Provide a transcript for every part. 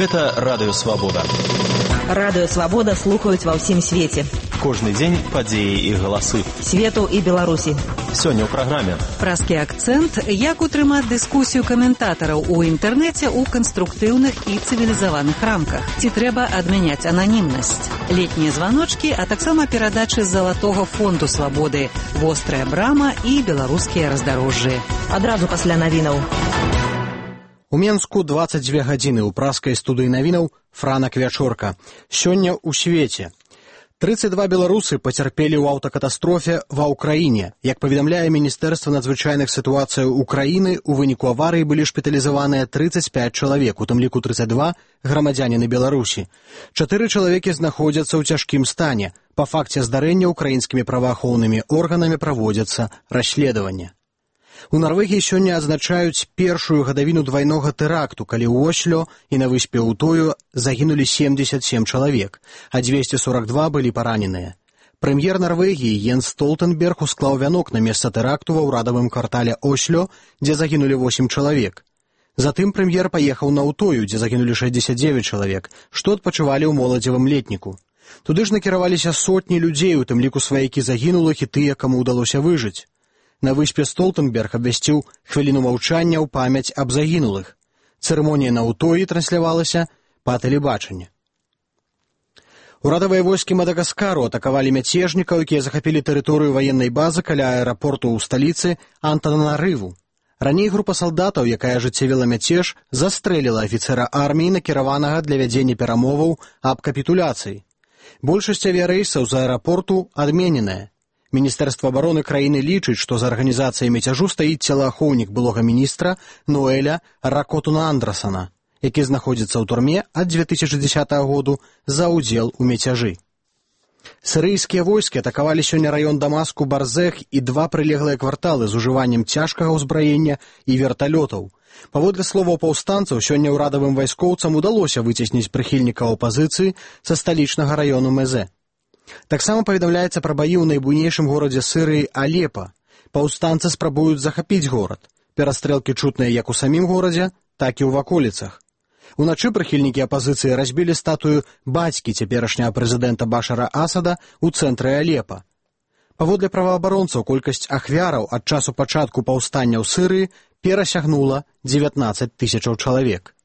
Гэта Радыё Свабода. Радыё Свабода слухаюць ва ўсім свеце. Кожны дзень падзеі і галасы. Свету і Беларусі. Сёння ў праграме. Празкі акцэнт, як утрымаць дыскусію каментатараў у інтэрнэце ў канструктыўных і цывілізаваных рамках. Ці трэба адмяняць ананімнасць. Летнія званочкі, а таксама перадачы Залатога фонду свабоды, вострая брама і беларускія раздарожжы. Адразу пасля навінаў. У Менску 22 гадзіны ў празкай студыі навінаў Франак Вячорка. Сёння ў свеце. 32 беларусы пацярпелі ў аўтакатастрофе ва ўкраіне. Як паведамляе Міністэрства надзвычайных сітуацыяў Украіны, у выніку аварыі былі шпіталізаваныя 35 чалавек, у тым ліку 32 грамадзяніны Беларусі. 4 чалавекі знаходзяцца ў цяжкім стане. Па факце здарэння украінскімі праваахоўнымі органамі праводзяцца расследаванне. У Нарвегіі сёння адзначаюць першую гадавіну двайнога тэракту, калі ў Осло і на выспе Утою загінулі 77 чалавек, а 242 былі параненыя. Прэм'ер Нарвегіі Йенс Столтенберг усклаў вянок на месца тэракту ва ўрадавым квартале Осло, дзе загінулі 8 чалавек. Затым прэм'ер паехаў на Утою, дзе загінулі 69 чалавек, што адпачывалі ў моладзевым летніку. Туды ж накіраваліся сотні людзей, у тым ліку сваякі загінулых і тыя, каму ўдалося выжыць. На выспе Столтенберг абвясціў хвіліну маўчання ў памяць аб загінулых. Цырымонія на Утоі транслявалася па тэлебачанні. Урадавыя войскі Мадагаскару атакавалі мяцежнікаў, якія захапілі тэрыторыю ваеннай базы каля аэрапорту ў сталіцы Антананарыву. Раней група салдатаў, якая ажыццявіла мяцеж, застрэліла афіцэра арміі, накіраванага для вядзення перамоваў аб капітуляцыі. Большасць авіярэйсаў з аэрапорту адмененая. Міністэрства абароны краіны лічыць, што за арганізацыяй мяцяжу стаіць целаахоўнік былога міністра Ноэля Ракотуна Андрасана, які знаходзіцца ў турме ад 2010 году за ўдзел у мяцяжы. Сірыйскія войскі атакавалі сёння раён Дамаску Барзех і 2 прылеглыя кварталы з ужываннем цяжкага ўзбраення і верталётаў. Паводле словаў паўстанцаў, сёння ўрадавым вайскоўцам удалося выцесніць прыхільнікаў апазіцыі са сталічнага раёну Мезе. Таксама паведамляецца пра баі ў найбуйнейшым горадзе Сірыі Алепа. Паўстанцы спрабуюць захапіць горад. Перастрэлкі чутныя як у самім горадзе, так і ў ваколіцах. Уначы прыхільнікі апазіцыі разбілі статую бацькі цяперашняга прэзідэнта Башара Асада ў цэнтры Алепа. Паводле праваабаронцаў, колькасць ахвяраў ад часу пачатку паўстання ў Сірыі перасягнула 19 тысячаў чалавек.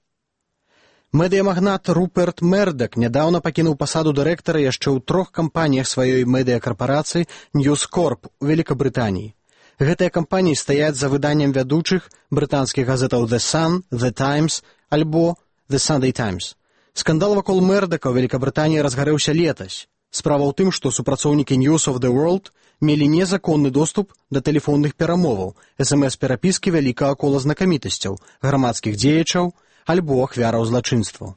Медыямагнат Руперт Мердак нядаўна пакінуў пасаду дырэктара яшчэ ў 3 кампаніях сваёй медыякарпорацыі News Corp у Великабрытаніі. Гэтыя кампаніі стаяць за выданнем вядучых брытанскіх газетаў The Sun, The Times альбо The Sunday Times. Скандал вакол Мердака ў Великабрытаніі разгарэўся летась. Справа ў тым, што супрацоўнікі News of the World мелі незаконны доступ да тэлефонных перамоваў, СМС-перапіскі вялікага кола знакамітасцяў, грамадскіх дзеячаў, альбо ахвяраў злачынстваў.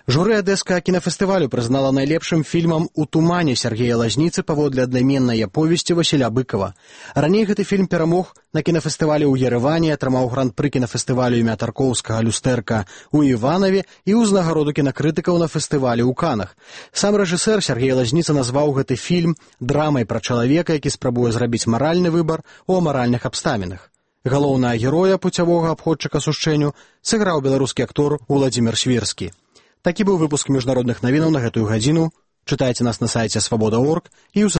Журы Адэскага кінафестывалю прызнала найлепшым фільмам «У тумане» Сергея Лазніцы паводле аднайменнай аповесці Васіля Быкова. Раней гэты фільм перамог на кінафестывалі ў Ерэване, атрымаў гран-пры кінафестывалю імя Тарковскага «Люстэрка» у Іванаве і ўзнагароду кінакрытыкаў на фестывалі ў Канах. Сам рэжысэр Сергей Лазніца назваў гэты фільм драмай пра чалавека, які спрабуе зрабіць маральны выбар у амаральных абставінах. Галоўнага героя пуцявога абходчыка сушчэнню сыграў беларускі актор Уладзімір Свірскі. Такі быў выпуск міжнародных навінаў на гэтую гадзіну. Чытайце нас на сайце свабода.орг і ў